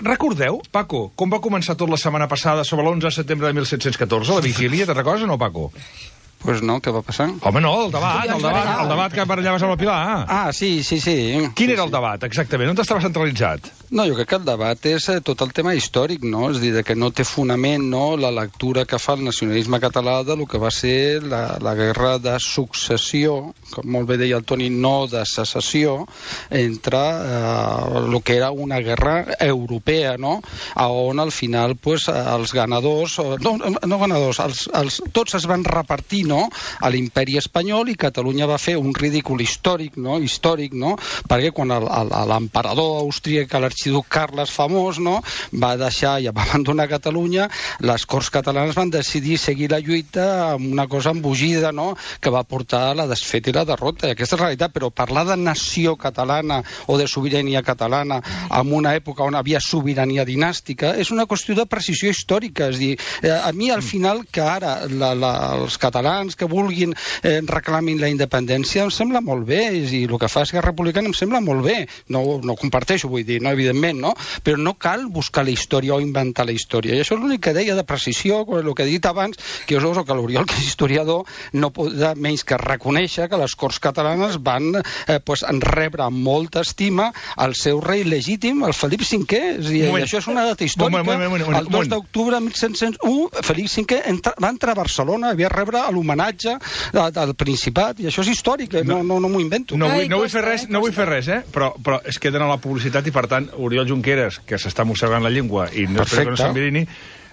Recordeu, Paco, com va començar tot la setmana passada sobre l'11 de setembre de 1714, la vigília? Te'n recordes o no, Paco? Pues no, què va passar? Home, no, el debat que barallaves amb el Pilar. Ah, sí. Quin era el debat, exactament? On estava centralitzat? No, jo crec que el debat és tot el tema històric, no? És a dir, que no té fonament, no?, la lectura que fa el nacionalisme català de lo que va ser la guerra de successió, com molt bé deia el Toni, no de secessió, entre el que era una guerra europea, no?, on al final, pues, els ganadors, no ganadors, tots es van repartir, no?, a l'imperi espanyol, i Catalunya va fer un ridícul històric, no?, perquè quan l'emperador austríac, l'arxiduc Carles famós, no?, va deixar i va abandonar Catalunya, les Corts catalanes van decidir seguir la lluita amb una cosa embogida, no?, que va portar a la desfeta i la derrota. I aquesta és la realitat, però parlar de nació catalana o de sobirania catalana en una època on havia sobirania dinàstica és una qüestió de precisió històrica. És dir, a mi al final que ara els catalans que vulguin reclamin la independència em sembla molt bé, i el que fa Esquerra Republicana em sembla molt bé. No comparteixo, vull dir, no, evidentment, no? Però no cal buscar la història o inventar la història. I això és l'únic que deia de precisió, el que he dit abans, que jo soc que l'Oriol, que és historiador, no pot menys que reconèixer que les Corts catalanes van rebre amb molta estima el seu rei legítim, el Felip V. I això és una data històrica. El 2 d'octubre de 1701, Felip V va entrar a Barcelona, havia rebre l'homenatge del Principat, i això és històric, no m'ho invento. No vull fer res, però es queden a la publicitat, i per tant, Oriol Junqueras, que s'està mossegant la llengua i no espero que no s'envirini,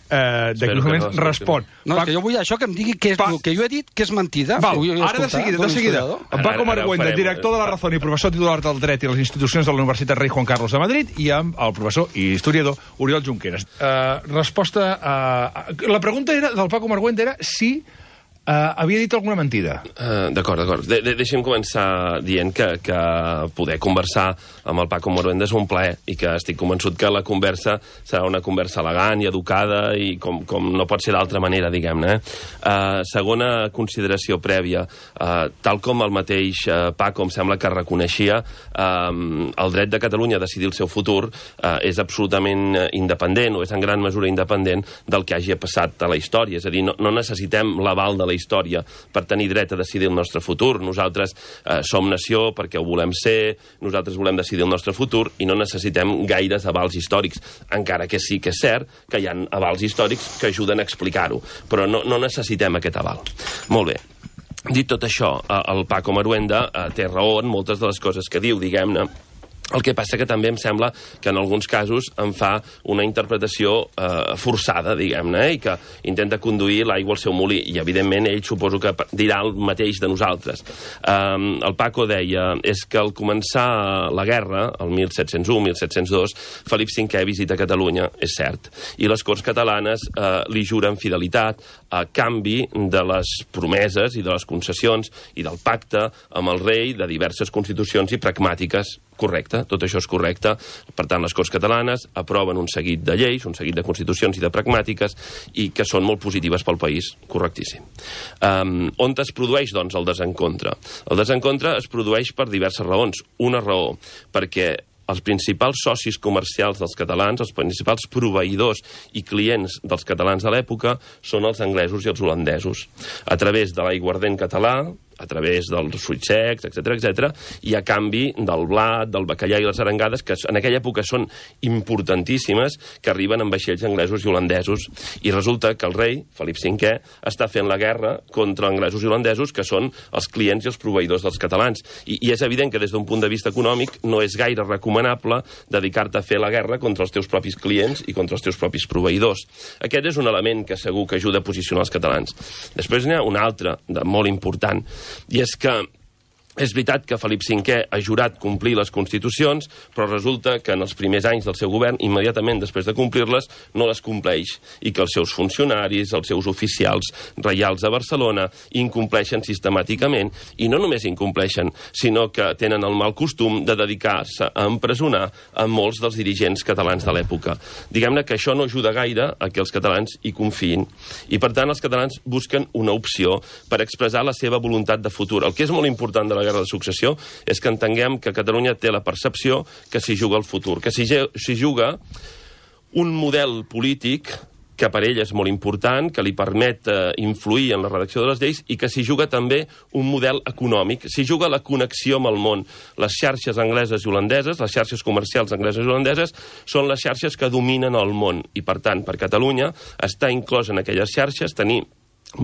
d'aquí uns moments respon. No, que jo vull això que em digui que és el que jo he dit, que és mentida. Val, ara de seguida. Paco Margüenda, director de la Razón i professor titular del Dret i les institucions de la Universitat Rei Juan Carlos de Madrid, i amb el professor i historiador Oriol Junqueras. Resposta a... La pregunta del Paco Margüenda era si havia dit alguna mentida. D'acord. Deixem començar dient que poder conversar amb el Paco Margüenda és un plaer, i que estic convençut que la conversa serà una conversa elegant i educada, i com no pot ser d'altra manera, diguem-ne. Segona consideració prèvia, tal com el mateix Paco em sembla que reconeixia, el dret de Catalunya a decidir el seu futur és absolutament independent, o és en gran mesura independent del que hagi passat a la història. És a dir, no necessitem l'aval de la història per tenir dret a decidir el nostre futur. Nosaltres som nació perquè ho volem ser, nosaltres volem decidir el nostre futur, i no necessitem gaires avals històrics, encara que sí que és cert que hi ha avals històrics que ajuden a explicar-ho, però no necessitem aquest aval. Molt bé. Dit tot això, el Paco Margüenda té raó en moltes de les coses que diu, diguem-ne. El que passa que també em sembla que en alguns casos en fa una interpretació forçada, diguem-ne, i que intenta conduir l'aigua al seu molí, i evidentment ell suposo que dirà el mateix de nosaltres. El Paco deia, és que al començar la guerra, el 1701-1702, Felip V visita Catalunya, és cert, i les Corts catalanes li juren fidelitat a canvi de les promeses i de les concessions i del pacte amb el rei de diverses constitucions i pragmàtiques. Correcte, tot això és correcte. Per tant, les Corts catalanes aproven un seguit de lleis, un seguit de constitucions i de pragmàtiques, i que són molt positives pel país. Correctíssim. On es produeix, doncs, el desencontre? El desencontre es produeix per diverses raons. Una raó, perquè els principals socis comercials dels catalans, els principals proveïdors i clients dels catalans de l'època, són els anglesos i els holandesos. A través de l'aiguardent català, a través dels fruits secs, etc., i a canvi del blat, del bacallà i les arengades, que en aquella època són importantíssimes, que arriben amb vaixells anglesos i holandesos. I resulta que el rei, Felip V, està fent la guerra contra anglesos i holandesos, que són els clients i els proveïdors dels catalans. I és evident que des d'un punt de vista econòmic no és gaire recomanable dedicar-te a fer la guerra contra els teus propis clients i contra els teus propis proveïdors. Aquest és un element que segur que ajuda a posicionar els catalans. Després n'hi ha un altre, de molt important, i és que és veritat que Felip V ha jurat complir les constitucions, però resulta que en els primers anys del seu govern, immediatament després de complir-les, no les compleix, i que els seus funcionaris, els seus oficials reials a Barcelona, incompleixen sistemàticament, i no només incompleixen, sinó que tenen el mal costum de dedicar-se a empresonar a molts dels dirigents catalans de l'època. Diguem-ne que això no ajuda gaire a que els catalans hi confiïn, i per tant els catalans busquen una opció per expressar la seva voluntat de futur. El que és molt important de la guerra de successió és que entenguem que Catalunya té la percepció que s'hi juga el futur, que s'hi juga un model polític que per ell és molt important, que li permet influir en la redacció de les lleis i que s'hi juga també un model econòmic. S'hi juga la connexió amb el món. Les xarxes angleses i holandeses, les xarxes comercials angleses i holandeses, són les xarxes que dominen el món. I, per tant, per Catalunya, estar inclòs en aquelles xarxes, tenir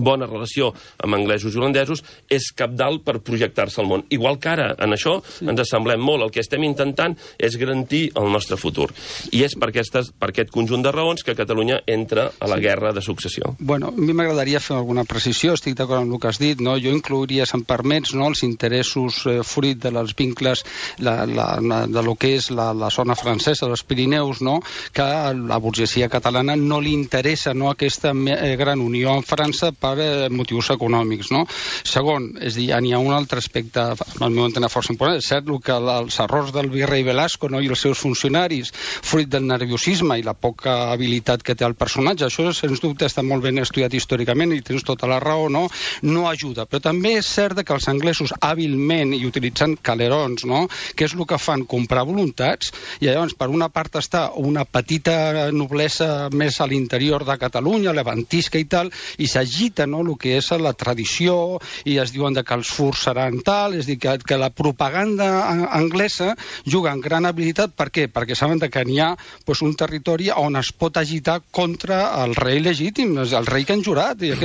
bona relació amb anglesos i holandesos, és cabdal per projectar-se al món. Igual que ara, en això, ens assemblem molt. El que estem intentant és garantir el nostre futur. I és per aquest conjunt de raons que Catalunya entra a la guerra de successió. Bueno, a mi m'agradaria fer alguna precisió, estic d'acord amb el que has dit, no? Jo inclouria, si em permets, no, els interessos fruit dels vincles de lo que és la zona francesa, dels Pirineus, no? Que a la burgesia catalana no li interessa, no, aquesta gran unió amb França per motius econòmics, no? Segon, és a dir, hi ha un altre aspecte, al meu entendre, força important. És cert que els errors del virrei Velasco, no, i els seus funcionaris, fruit del nerviosisme i la poca habilitat que té el personatge, això, sens dubte, està molt ben estudiat històricament i tens tota la raó, no ajuda. Però també és cert que els anglesos, hàbilment i utilitzant calerons, no, que és el que fan, comprar voluntats, i llavors, per una part està una petita noblesa més a l'interior de Catalunya, levantisca i tal, i s'agita, no, el que és la tradició, i es diuen que els furs seran tal, és a dir, que la propaganda anglesa juga amb gran habilitat. Per què? Perquè saben que n'hi ha un territori on es pot agitar contra el rei legítim, el rei que han jurat, i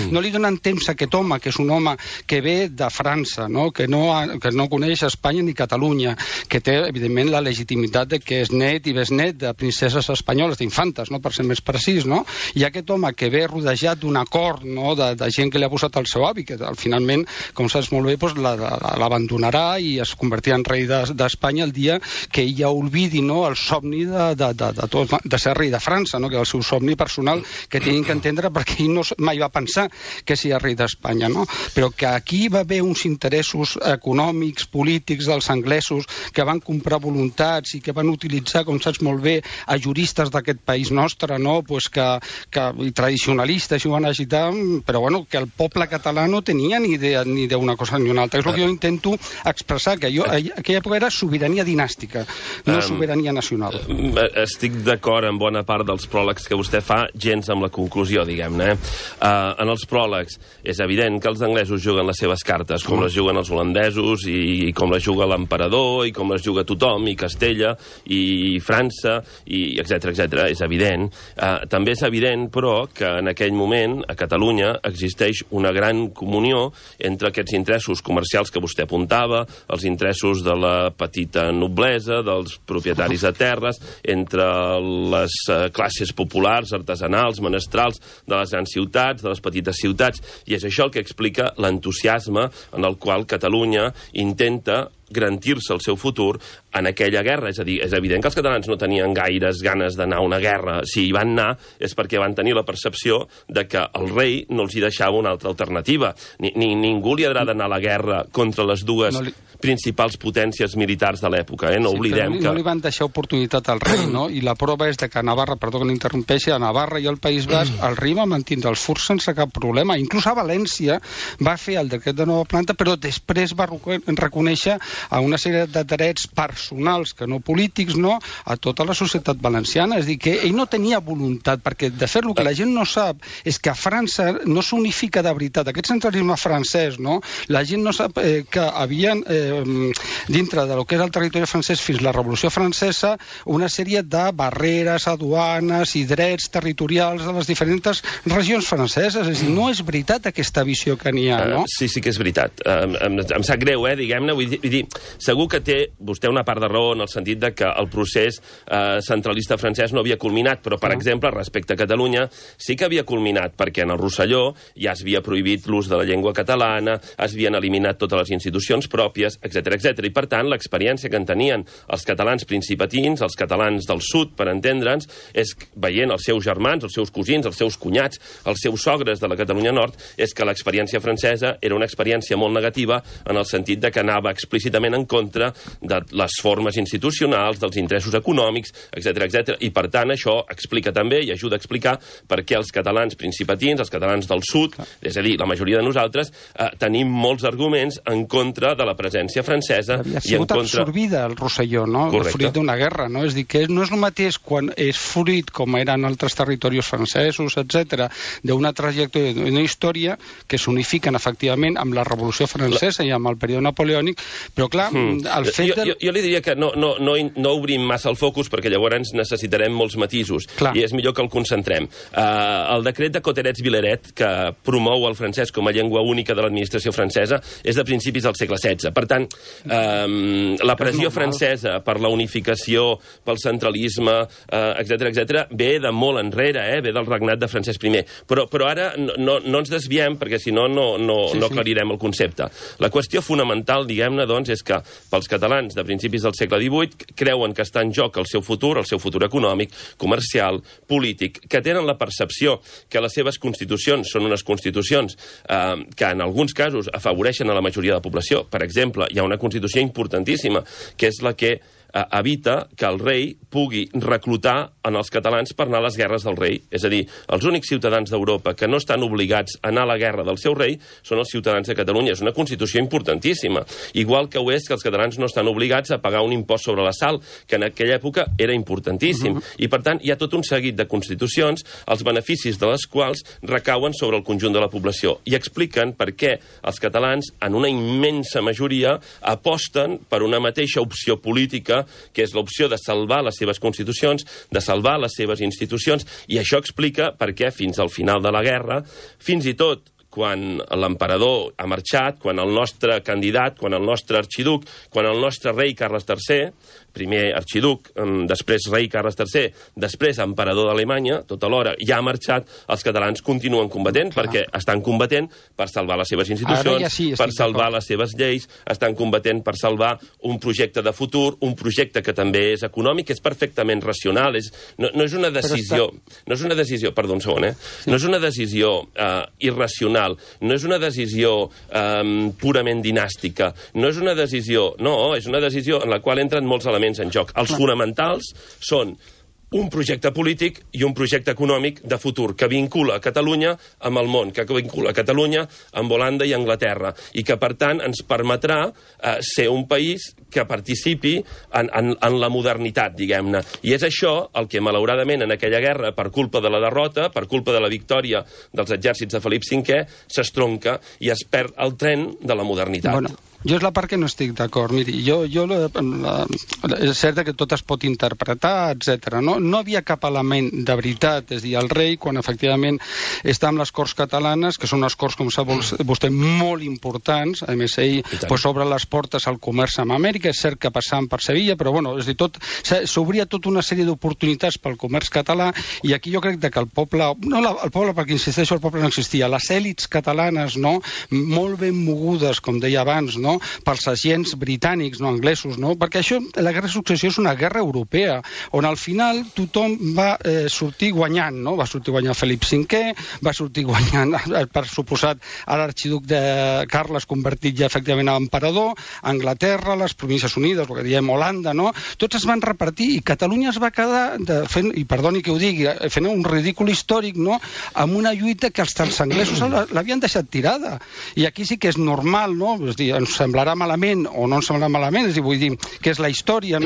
no li donen temps a aquest home, que és un home que ve de França, no? Que no coneix Espanya ni Catalunya, que té, evidentment, la legitimitat de que és net i besnet de princeses espanyoles, d'infantes, no? Per ser més precís, no? I aquest home que ve rodejat d'un acord, no, de gent que li ha posat el seu avi, que finalment, com saps molt bé, l'abandonarà i es convertirà en rei d'Espanya el dia que ell ja oblidi, no, el somni de ser rei de França, no, que és el seu somni personal, que tenen que entendre perquè ell mai va pensar que seria rei d'Espanya, no? Però que aquí va haver uns interessos econòmics, polítics dels anglesos que van comprar voluntats i que van utilitzar, com saps molt bé, a juristes d'aquest país nostre, no, i tradicionalistes, i ho van agitar, però bueno, que el poble català no tenia ni idea ni d'una cosa ni una altra. És el que jo intento expressar, que aquella època era sobirania dinàstica, no sobirania nacional. Estic d'acord amb bona part dels pròlegs que vostè fa, gens amb la conclusió, diguem-ne. En els pròlegs és evident que els anglesos juguen les seves cartes, com les juguen els holandesos, i com les juga l'emperador, i com les juga tothom, i Castella, i França, i etc. És evident. També és evident, però, que en aquell moment, a Catalunya, existeix una gran comunió entre aquests interessos comercials que vostè apuntava, els interessos de la petita noblesa, dels propietaris de terres, entre les classes populars, artesanals, menestrals, de les grans ciutats, de les petites ciutats, i és això el que explica l'entusiasme en el qual Catalunya intenta garantir-se el seu futur en aquella guerra. És a dir, és evident que els catalans no tenien gaires ganes d'anar a una guerra. Si hi van anar és perquè van tenir la percepció de que el rei no els hi deixava una altra alternativa. Ningú li agrada anar a la guerra contra les dues principals potències militars de l'època. No oblidem que... No li van deixar oportunitat al rei, no? I la prova és que a Navarra, perdó que n'interrompeixi, a Navarra i al País Basc, el rei va mantindre els furs sense cap problema. Inclús a València va fer el decret de nova planta, però després va reconèixer a una sèrie de drets personals, que no polítics, no, a tota la societat valenciana. És a dir, que ell no tenia voluntat, perquè de fet el que la gent no sap és que a França no s'unifica de veritat. Aquest centralisme francès, no? La gent no sap que havien dintre del que és el territori francès fins la Revolució Francesa una sèrie de barreres, aduanes i drets territorials de les diferents regions franceses. És a dir, no és veritat aquesta visió que n'hi ha, no? Sí que és veritat. Em sap greu, diguem-ne. Vull dir, segur que té vostè una part de raó en el sentit de que el procés centralista francès no havia culminat, però, per exemple, respecte a Catalunya, sí que havia culminat, perquè en el Rosselló ja es havia prohibit l'ús de la llengua catalana, es havien eliminat totes les institucions pròpies, etc. I, per tant, l'experiència que en tenien els catalans principatins, els catalans del sud, per entendre'ns, és veient els seus germans, els seus cosins, els seus cunyats, els seus sogres de la Catalunya Nord, és que l'experiència francesa era una experiència molt negativa en el sentit de que anava explícitament completament en contra de les formes institucionals, dels interessos econòmics, etc. I, per tant, això explica també i ajuda a explicar per què els catalans principatins, els catalans del sud, és a dir, la majoria de nosaltres, tenim molts arguments en contra de la presència francesa. Havia sigut absorbida el Rosselló, no? Correcte. Fruit d'una guerra, no? És dir, que no és el mateix quan és fruit, com eren altres territoris francesos, etc., d'una trajectòria, d'una història que s'unifiquen efectivament amb la Revolució Francesa i amb el període napoleònic, però clar, el fet de... Jo li diria que no obrim massa el focus perquè llavors necessitarem molts matisos i és millor que el concentrem. El decret de Cotterets-Vileret, que promou el francès com a llengua única de l'administració francesa, és de principis del segle XVI. Per tant, la pressió francesa per la unificació, pel centralisme, etc., ve de molt enrere, ve del regnat de Francesc I. Però ara no ens desviem, perquè si no aclarirem el concepte. La qüestió fonamental, diguem-ne, doncs, és que pels catalans de principis del segle XVIII creuen que està en joc el seu futur econòmic, comercial, polític, que tenen la percepció que les seves constitucions són unes constitucions que en alguns casos afavoreixen a la majoria de la població. Per exemple, hi ha una constitució importantíssima, que és la que evita que el rei pugui reclutar en els catalans per anar a les guerres del rei. És a dir, els únics ciutadans d'Europa que no estan obligats a anar a la guerra del seu rei són els ciutadans de Catalunya. És una constitució importantíssima. Igual que ho és que els catalans no estan obligats a pagar un impost sobre la sal, que en aquella època era importantíssim. I, per tant, hi ha tot un seguit de constitucions, els beneficis de les quals recauen sobre el conjunt de la població i expliquen per què els catalans, en una immensa majoria, aposten per una mateixa opció política, que és l'opció de salvar les seves constitucions, de salvar les seves institucions, i això explica per què fins al final de la guerra, fins i tot quan l'emperador ha marxat, quan el nostre candidat, quan el nostre arxiduc, quan el nostre rei Carles III, primer arxiduc, després rei Carles III, després emperador d'Alemanya, tot alhora ja ha marxat, els catalans continuen combatent, perquè estan combatent per salvar les seves institucions, per salvar les seves lleis, estan combatent per salvar un projecte de futur, un projecte que també és econòmic, és perfectament racional, no és una decisió, perdó un segon, no és una decisió irracional, no és una decisió purament dinàstica, no és una decisió en la qual entren molts elements en joc. Els fonamentals són un projecte polític i un projecte econòmic de futur que vincula Catalunya amb el món, que vincula Catalunya amb Holanda i Anglaterra, i que, per tant, ens permetrà ser un país que participi en la modernitat, diguem-ne. I és això el que, malauradament, en aquella guerra, per culpa de la derrota, per culpa de la victòria dels exèrcits de Felip V, s'estronca i es perd el tren de la modernitat. Bueno, jo és la part que no estic d'acord. Miri, és cert que tot es pot interpretar, etc. No havia cap element de veritat, és a dir, el rei, quan efectivament està amb les Corts catalanes, que són unes Corts, com sap vostè, molt importants, a més ell obre les portes al comerç amb Amèrica, és cert que passant per Sevilla, però bueno, és a dir, s'obria tota una sèrie d'oportunitats pel comerç català, i aquí jo crec que el poble, el poble, perquè insisteixo, el poble no existia, les èlits catalanes, molt ben mogudes, com deia abans, pels agents britànics, anglesos, perquè això, la guerra de successió és una guerra europea, on al final tothom va sortir guanyant, va sortir guanyant Felip V, va sortir guanyant, per suposat, a l'arxiduc de Carles, convertit ja efectivament a emperador, Anglaterra, les Províncies Unides, el que diem Holanda, tots es van repartir, i Catalunya es va quedar fent, i perdoni que ho digui, fent un ridícul històric, amb una lluita que els anglesos l'havien deixat tirada. I aquí sí que és normal, és a dir, ens semblarà malament o no ens semblarà malament, és a dir, vull dir que és la història,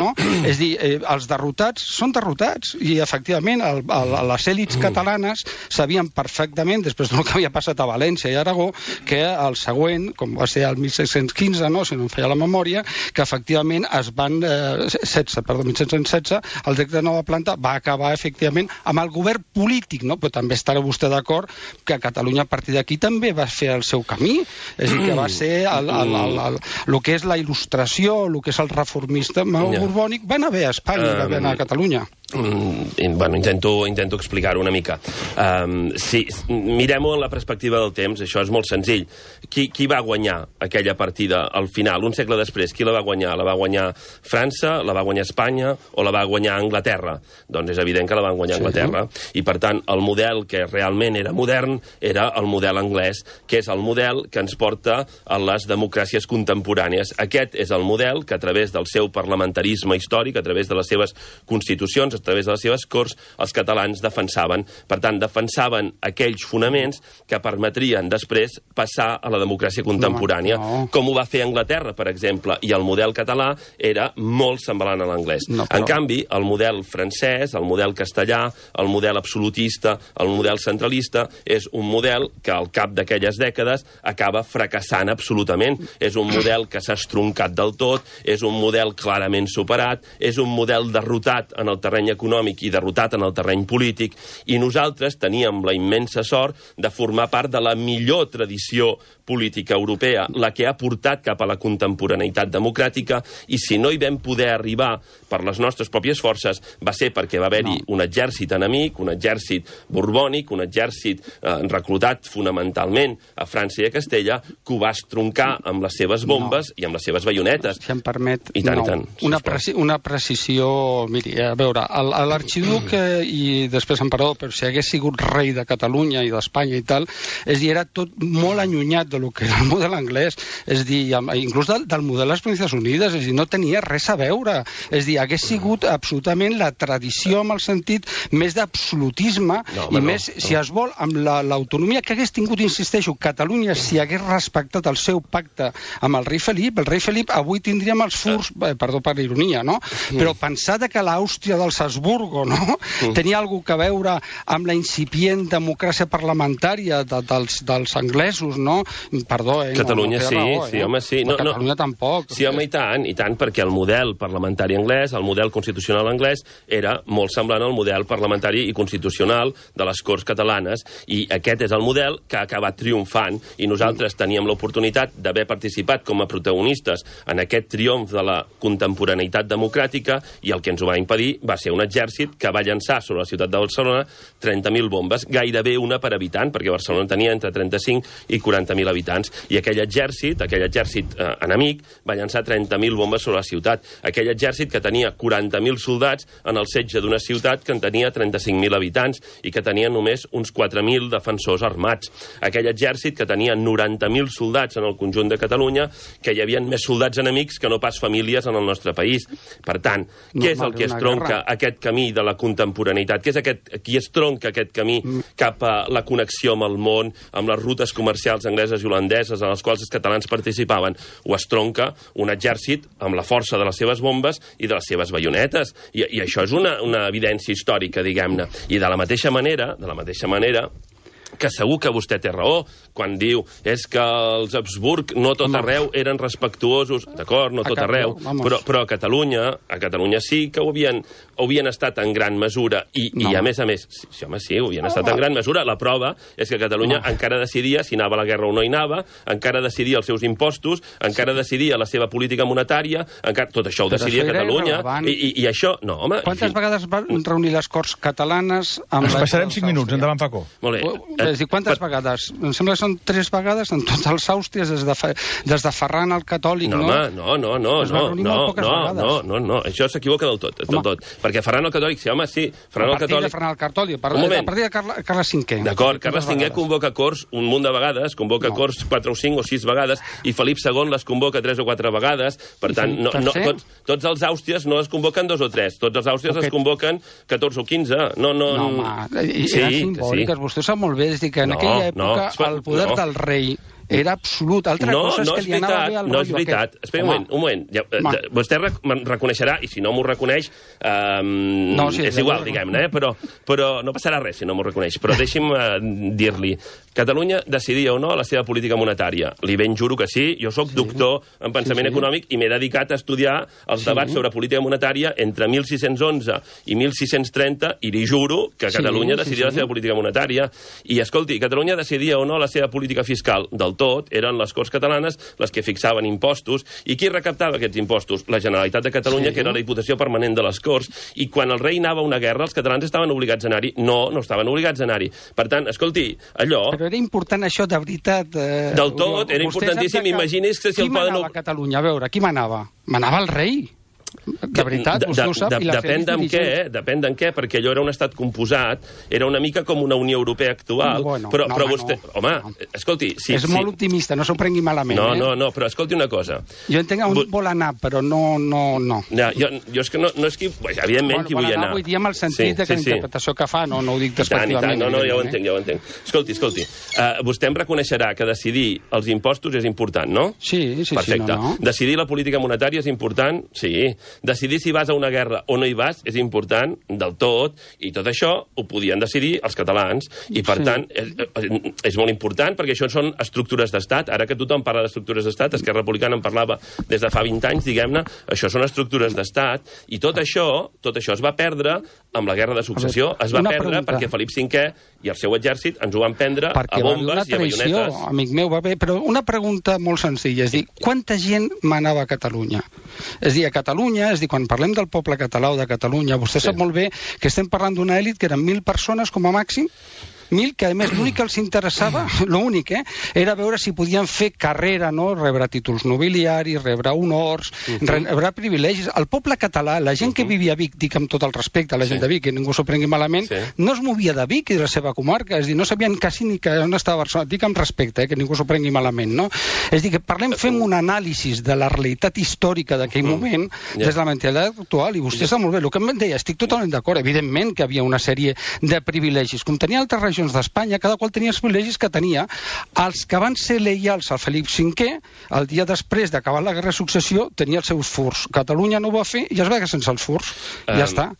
és a dir, els derrotats són derrotats, i efectivament les èlits catalanes sabien perfectament, després del que havia passat a València i Aragó, que el següent, com va ser el 1615, si no em feia la memòria, que efectivament es van 1716, el decret de nova planta va acabar efectivament amb el govern polític, però també estarà vostè d'acord que Catalunya a partir d'aquí també va fer el seu camí, és a dir, que va ser el que és la il·lustració, el que és el reformisme borbònic, va anar bé a Espanya i va anar a Catalunya. Intento explicar-ho una mica. Si mirem-ho en la perspectiva del temps, això és molt senzill. Qui va guanyar aquella partida al final, un segle després? Qui la va guanyar? La va guanyar França, la va guanyar Espanya o la va guanyar Anglaterra? Doncs és evident que la van guanyar Anglaterra. I, per tant, el model que realment era modern era el model anglès, que és el model que ens porta a les democràcies contemporànies. Aquest és el model que, a través del seu parlamentarisme històric, a través de les seves constitucions, a través de les seves corts, els catalans defensaven. Per tant, defensaven aquells fonaments que permetrien després passar a la democràcia contemporània, com ho va fer Anglaterra, per exemple, i el model català era molt semblant a l'anglès. En canvi, el model francès, el model castellà, el model absolutista, el model centralista, és un model que al cap d'aquelles dècades acaba fracassant absolutament. És un model que s'ha estroncat del tot, és un model clarament superat, és un model derrotat en el terreny econòmic i derrotat en el terreny polític, i nosaltres teníem la immensa sort de formar part de la millor tradició política europea, la que ha portat cap a la contemporaneïtat democràtica, i si no hi vam poder arribar per les nostres pròpies forces, va ser perquè va haver-hi un exèrcit enemic, un exèrcit borbònic, un exèrcit reclutat fonamentalment a França i a Castella, que ho va estroncar amb les seves bombes i amb les seves baionetes. Si em permet, I tant. Una precisió, miri, a veure, l'arxiduc i després emperador, però si hagués sigut rei de Catalunya i d'Espanya i tal, és dir, era tot molt allunyat del que era el model anglès, és dir, inclús del model de les Províncies Unides, és dir, no tenia res a veure, és dir, hagués sigut absolutament la tradició amb el sentit més d'absolutisme i més, si es vol, amb l'autonomia que hagués tingut, insisteixo, Catalunya, si hagués respectat el seu pacte amb el rei Felip avui tindríem els furs, perdó per l'ironia, no? Però pensar que l'Àustria dels Habsburgo, no? Tenia alguna cosa a veure amb la incipient democràcia parlamentària dels anglesos, no? Perdó, Catalunya sí, home, sí. Catalunya tampoc. Sí, home, i tant, perquè el model parlamentari anglès, el model constitucional anglès, era molt semblant al model parlamentari i constitucional de les Corts catalanes, i aquest és el model que ha acabat triomfant, i nosaltres teníem l'oportunitat d'haver participat com a protagonistes en aquest triomf de la contemporaneïtat democràtica, i el que ens ho va impedir va ser un exèrcit que va llançar sobre la ciutat de Barcelona 30.000 bombes, gairebé una per habitant, perquè Barcelona tenia entre 35 i 40.000 habitants, i aquell exèrcit enemic, va llançar 30.000 bombes sobre la ciutat. Aquell exèrcit que tenia 40.000 soldats en el setge d'una ciutat que en tenia 35.000 habitants i que tenia només uns 4.000 defensors armats. Aquell exèrcit que tenia 90.000 soldats en el conjunt de Catalunya, que hi havia més soldats enemics que no pas famílies en el nostre país. Per tant, què és el que estronca aquest camí de la contemporaneïtat? Què és qui estronca aquest camí cap a la connexió amb el món, amb les rutes comercials angleses i holandeses en les quals els catalans participaven? Ho estronca un exèrcit amb la força de les seves bombes i de les seves baionetes. I això és una evidència històrica, diguem-ne. I de la mateixa manera, que segur que vostè té raó quan diu és que els Habsburg no tot arreu eren respectuosos, d'acord, no tot arreu, però a Catalunya sí que ho havien estat en gran mesura, i a més, sí, ho havien estat en gran mesura. La prova és que Catalunya encara decidia si anava a la guerra o no hi anava, encara decidia els seus impostos, encara decidia la seva política monetària, tot això ho decidia Catalunya, i això, no, home... Quantes vegades van reunir les Corts catalanes? Ens passarem 5 minuts, endavant, Paco. Molt bé. És dir, quantes vegades? Em sembla que són 3 vegades en tots els Àustries, des de Ferran el Catòlic, no? No, això s'equivoca del tot. Perquè Ferran el Catòlic, Ferran el Catòlic... A partir de Carles V. D'acord, Carles V convoca corts un munt de vegades, convoca corts 4 o 5 o 6 vegades, i Felip II les convoca 3 o 4 vegades, per tant, tots els Àustries no es convoquen 2 o 3, tots els Àustries es convoquen 14 o 15. No, home, eren simbòliques, vostè ho sap molt bé, és dir, que en aquella època el poder del rei era absolut. Altra cosa és que li anava bé al rotllo. No és veritat. Espera un moment. Vostè reconeixerà, i si no m'ho reconeix, és igual, diguem-ne, però no passarà res si no m'ho reconeix. Però deixi'm dir-li, Catalunya decidia o no la seva política monetària. Li ben juro que sí. Jo sóc doctor en pensament econòmic i m'he dedicat a estudiar els debats sobre política monetària entre 1611 i 1630, i li juro que Catalunya decidia la seva política monetària. I, escolti, Catalunya decidia o no la seva política fiscal del del tot, eren les Corts Catalanes les que fixaven impostos. I qui recaptava aquests impostos? La Generalitat de Catalunya, que era la Diputació Permanent de les Corts. I quan el rei anava a una guerra, els catalans estaven obligats a anar-hi. No estaven obligats a anar-hi. Per tant, escolti, allò... Però era important això, de veritat. Del tot, era importantíssim. Imagini's que si el poden... Qui manava a Catalunya? A veure, qui manava? Manava el rei. De veritat, vostè ho sap. Depèn d'en què, depèn d'en què, perquè allò era un estat composat, era una mica com una Unió Europea actual, però vostè... Home, escolti... És molt optimista, no s'ho prengui malament. No, però escolti una cosa. Jo entenc on vol anar, però no. Jo és que no és que... Evidentment, qui vull anar. Vull dir amb el sentit que la interpretació que fa, no ho dic despectivament. No, ja ho entenc. Escolti, vostè em reconeixerà que decidir els impostos és important, no? Sí. Perfecte. Decidir la política monetària és important? Sí. Decidir si vas a una guerra o no hi vas és important del tot, i tot això ho podien decidir els catalans, i per tant és molt important, perquè això són estructures d'estat. Ara que tothom parla d'estructures d'estat, Esquerra Republicana en parlava des de fa 20 anys, diguem-ne, això són estructures d'estat, i tot això es va perdre amb la Guerra de Successió, es va perdre perquè Felip V i el seu exèrcit ens ho van prendre a bombes i a baionetes. Amic meu, va bé, però una pregunta molt senzilla, és dir, quanta gent manava a Catalunya? És dir, a Catalunya, és dir, quan parlem del poble català o de Catalunya, vostè sap molt bé que estem parlant d'una elit que eren 1.000 persones com a màxim, 1.000, que a més l'únic que els interessava, l'únic, era veure si podien fer carrera, no? Rebre títols nobiliaris, rebre honors, rebre privilegis. El poble català, la gent que vivia a Vic, dic amb tot el respecte a la gent de Vic, que ningú s'ho prengui malament, no es movia de Vic i de la seva comarca, és dir, no sabien quasi ni on estava Barcelona, dic amb respecte, que ningú s'ho prengui malament, no? És dir, que fem un anàlisi de la realitat històrica d'aquell moment des de la mentalitat actual, i vostè sap molt bé, el que em deia, estic totalment d'acord, evidentment que havia una sèrie de privilegis, com tenia altres regions d'Espanya, cada qual tenia els privilegis que tenia. Els que van ser lleials al Felip V, el dia després d'acabar la Guerra de Successió, tenia els seus furs. Catalunya no ho va fer i es va quedar sense els furs. Ja està.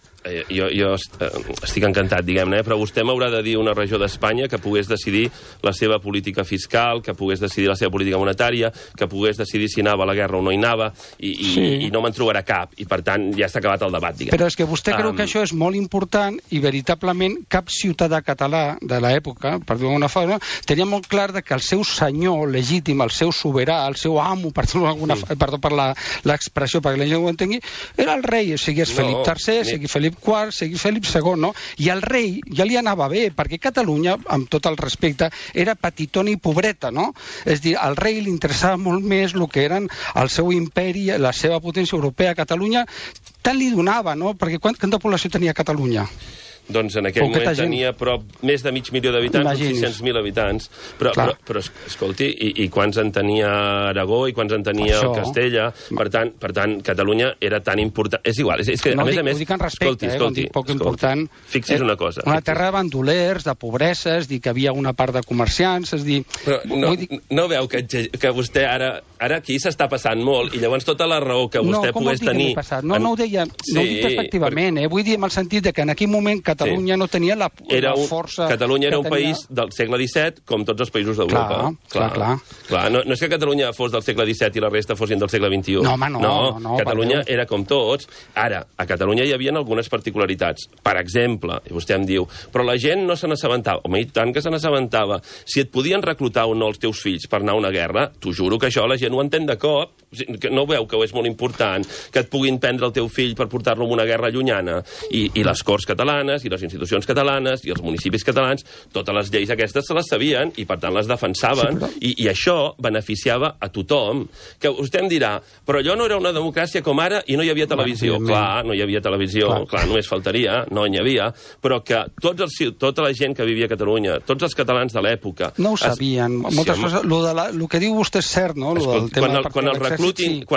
Jo estic encantat, diguem-ne, però vostè m'haurà de dir una regió d'Espanya que pogués decidir la seva política fiscal, que pogués decidir la seva política monetària, que pogués decidir si anava a la guerra o no hi anava, i no me'n trobarà cap, i per tant ja està acabat el debat, diguem. Però és que vostè creu que això és molt important, i veritablement cap ciutadà català de l'època, per dir-ho d'alguna forma, tenia molt clar que el seu senyor legítim, el seu soberà, el seu amo, perdó per l'expressió, perquè la gent ho entengui, era el rei, sigui Felip III, sigui Felip IV, sigui Felip II, no? I el rei ja li anava bé, perquè Catalunya, amb tot el respecte, era petitona i pobreta, no? És dir, al rei li interessava molt més el que eren el seu imperi, la seva potència europea. Catalunya tant li donava, no? Perquè quanta població tenia Catalunya? Doncs en aquell moment tenia més de 500.000 d'habitants, uns 600.000 habitants. Però escolti, i quants en tenia Aragó, i quants en tenia el Castella? Per tant, Catalunya era tan important... És igual, és que, a més... No dic en respecte, dic poc important. Fixi's una cosa. Una terra de bandolers, de pobresa, és dir, que havia una part de comerciants, és dir... No veu que vostè ara aquí s'està passant molt, i llavors tota la raó que vostè pogués tenir... No ho deia, no ho dic despectivament, vull dir en el sentit que en aquell moment Catalunya no tenia la força... Catalunya era un país del segle XVII, com tots els països d'Europa. Clar. No és que Catalunya fos del segle XVII i la resta fossin del segle XXI. No. Catalunya era com tots. Ara, a Catalunya hi havia algunes particularitats. Per exemple, i vostè em diu, però la gent no se n'assabentava. Home, i tant que se n'assabentava. Si et podien reclutar o no els teus fills per anar a una guerra, t'ho juro que això la gent ho entén de cop. No veu que és molt important que et puguin prendre el teu fill per portar-lo a una guerra llunyana. I les Corts catalanes, i les institucions catalanes i els municipis catalans, totes les lleis aquestes se les sabien i per tant les defensaven, i això beneficiava a tothom. Que vostè em dirà, però allò no era una democràcia com ara i no hi havia televisió. Clar, no hi havia televisió, clar, només faltaria, no n'hi havia, però que tota la gent que vivia a Catalunya, tots els catalans de l'època... No ho sabien. Moltes coses, el que diu vostè és cert, no? Quan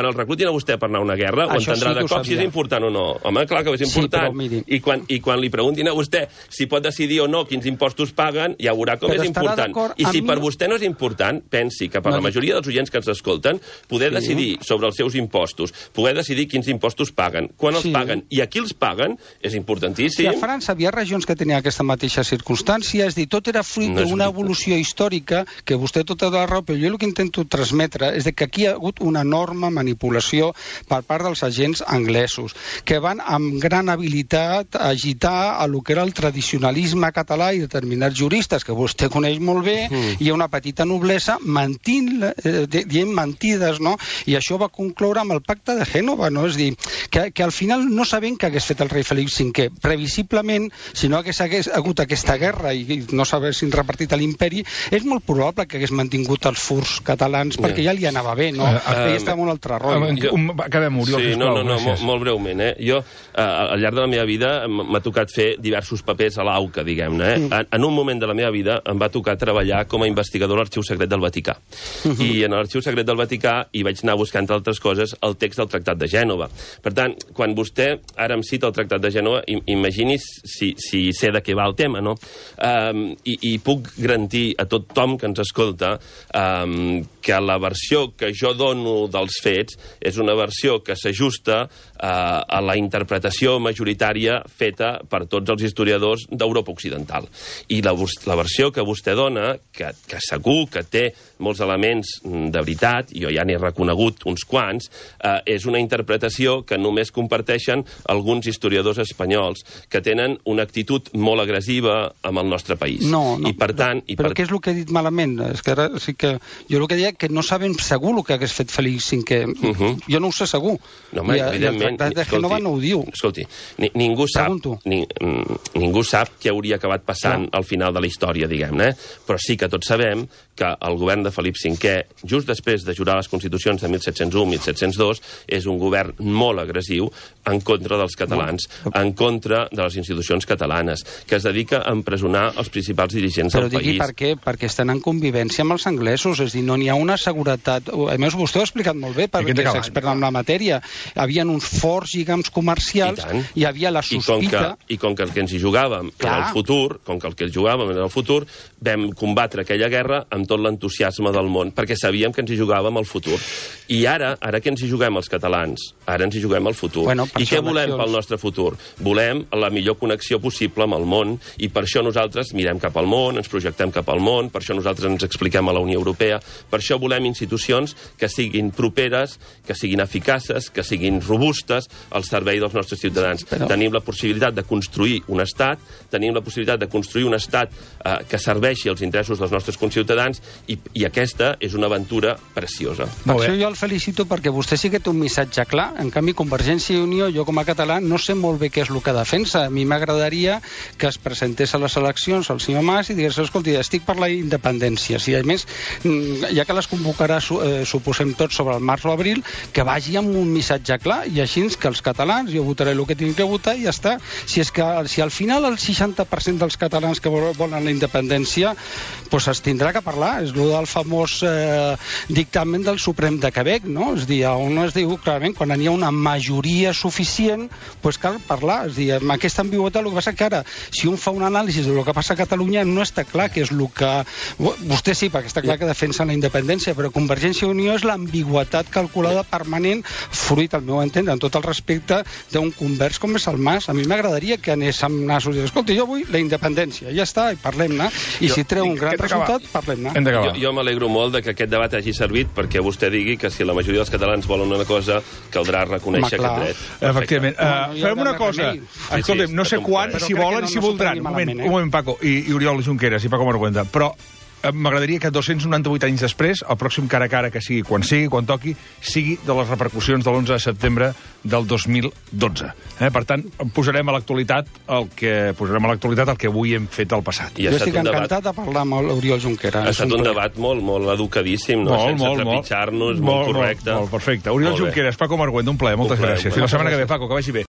el reclutin a vostè per anar a una guerra, ho entendrà de cop si és important o no. Home, clar que és important. I quan li preguntin a vostè si pot decidir o no quins impostos paguen, ja veurà com és important. I si per vostè no és important, pensi que per la majoria dels oients que ens escolten, poder decidir sobre els seus impostos, poder decidir quins impostos paguen, quan els paguen i a qui els paguen, és importantíssim. A França havia regions que tenien aquesta mateixa circumstància, és dir, tot era fruit d'una evolució històrica, que vostè tota la raó, però jo el que intento transmetre és que aquí hi ha hagut una enorme manipulació per part dels agents anglesos, que van amb gran habilitat a agitar a lo que era el tradicionalisme català i determinats juristes, que vostè coneix molt bé, i una petita noblesa dient mentides, no? I això va concloure amb el pacte de Gènova, no? És dir, que al final no sabem què hagués fet el rei Felip V. Previsiblement, si no hagués hagut aquesta guerra i no s'haguessin repartit a l'imperi, és molt probable que hagués mantingut els furs catalans, perquè ja li anava bé, no? Ell està en un altre rotllo. Acabem, Oriol, sisplau. Molt breument. Jo, al llarg de la meva vida, m'ha tocat fer diversos papers a l'AUCA, diguem-ne. En un moment de la meva vida em va tocar treballar com a investigador a l'Arxiu Secret del Vaticà. I en l'Arxiu Secret del Vaticà hi vaig anar buscant, entre altres coses, el text del Tractat de Gènova. Per tant, quan vostè ara em cita el Tractat de Gènova, imagini's si sé de què va el tema, no? I puc garantir a tothom que ens escolta que la versió que jo dono dels fets és una versió que s'ajusta a la interpretació majoritària feta per tots els historiadors d'Europa Occidental. I la versió que vostè dona, que segur que té molts elements de veritat, jo ja n'he reconegut uns quants, és una interpretació que només comparteixen alguns historiadors espanyols que tenen una actitud molt agressiva amb el nostre país. Però què és el que he dit malament? És que ara sí que jo el que deia que no sabem segur el que hagués fet Felip V. Jo no ho sé segur. No, home, evidentment. El Tractat de Gènova no ho diu. Escolti, ningú sap què hauria acabat passant al final de la història, diguem-ne, però sí que tots sabem que el govern de Felip V, just després de jurar les Constitucions de 1701-1702, és un govern molt agressiu en contra dels catalans, en contra de les institucions catalanes, que es dedica a empresonar els principals dirigents del país. Però digui per què? Perquè estan en convivència amb els anglesos, és a dir, no n'hi ha una seguretat. A més, vostè ho ha explicat molt bé, perquè és expert en la matèria. Hi havia uns forts lligams comercials, hi havia la sospita... I com que el que ens hi jugàvem era el futur, vam combatre aquella guerra amb tot l'entusiasme del món, perquè sabíem que ens hi jugàvem el futur. I ara que ens hi juguem els catalans? Ara ens hi juguem el futur. I què volem pel nostre futur? Volem la millor connexió possible amb el món, i per això nosaltres mirem cap al món, ens projectem cap al món, per això nosaltres ens expliquem a la Unió Europea, per això volem institucions que siguin properes, que siguin eficaces, que siguin robustes al servei dels nostres ciutadans. Tenim la possibilitat de construir un estat, tenim la possibilitat de construir un estat que serveixi als interessos dels nostres conciutadans, i aquesta és una aventura preciosa. Per això jo el felicito, perquè vostè sí que té un missatge clar. En canvi, Convergència i Unió, jo com a català, no sé molt bé què és el que defensa. A mi m'agradaria que es presentés a les eleccions el senyor Mas i digués, escolti, estic per la independència. Si a més, ja que les convocarà, suposem tots, sobre el març o abril, que vagi amb un missatge clar, i així que els catalans, jo votaré el que tinc que votar i ja està. Si al final el 60% dels catalans que volen la independència, doncs es tindrà que parlar. És el del famós dictamen del Suprem de Quebec, no? És a dir, on es diu clarament, quan hi ha una majoria suficient, doncs cal parlar. És a dir, amb aquesta ambigüitat, el que passa que ara, si un fa un anàlisi del que passa a Catalunya, no està clar que és el que... Vostè sí, perquè està clar que defensa la independència, però Convergència i Unió és l'ambigüitat calculada permanent, fruit, al meu entendre, en tot el respecte d'un convers com és el Mas. A mi m'agradaria que anés amb nassos i dir, escolta, jo vull la independència, ja està, i parlem-ne, i si treu un gran resultat, parlem-ne. Jo m'alegro molt de que aquest debat hagi servit perquè vostè digui que si la majoria dels catalans volen una cosa, caldrà reconèixer aquest dret. Efectivament. Fem una cosa. Escolta'm, no sé quan, si volen i si voldran. Un moment, Paco, i Oriol Junqueras, i Paco Margüenda, però m'agradaria que 298 anys després, el pròxim cara a cara que sigui, quan toqui, sigui de les repercussions de l'11 de setembre del 2012. Per tant, posarem a l'actualitat el que avui hem fet al passat. Jo estic encantat de parlar amb l'Oriol Junqueras. Ha estat un debat molt educadíssim, sense trepitjar-nos, molt correcte. Molt perfecte. Oriol Junqueras, Paco Margüenda, un plaer, moltes gràcies. Fins la setmana que ve, Paco, que vagi bé.